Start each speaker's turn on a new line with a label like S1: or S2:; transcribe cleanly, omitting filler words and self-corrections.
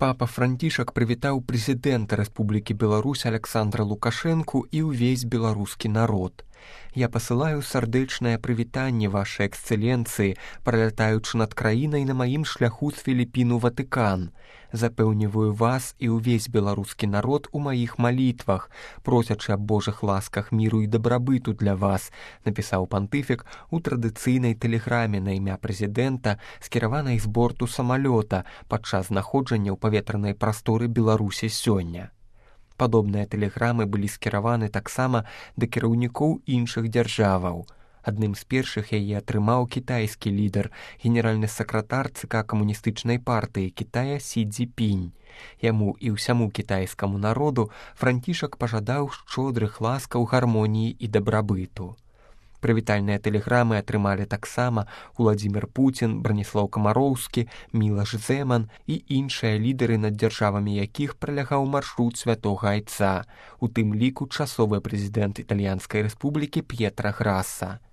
S1: Папа Францішак прывітаў прэзідэнта Рэспублікі Беларусь Аляксандра Лукашэнку і ўвесь беларускі народ. Я пасылаю сардэчнае прывітанне вашай эксцэленцыі, пралятаючы над краінай на маім шляху з Філіппін у Ватыкан. Запэўніваю вас і ўвесь беларускі народ у маіх малітвах, просячы аб Божых ласках міру і дабрабыту для вас, напісаў пантыфік у традыцыйнай тэлеграме на імя прэзідэнта, скіраванай з борту самалёта падчас знаходжання ў паветранай прасторы Беларусі сёння. Падобныя тэлеграмы былі скіраваны таксама да кіраўнікоў іншых дзяржаваў. Адным з першых яе атрымаў кітайскі лідар, генеральны сакратар ЦК камуністычнай партыі Кітая Сі Цзіньпінь. Яму і ўсяму кітайскаму народу Францішак пажадаў шчодрых ласкаў, гармоніі і дабрабыту. Прывітальныя тэлеграмы атрымалі таксама Уладзімір Пуцін, Браніслаў Камароўскі, Мілаш Зэман і іншыя лідары, над дзяржавамі якіх пралягаў маршрут святога айца, у тым ліку часовы прэзідэнт Італьянскай рэспублікі П'етра Граса.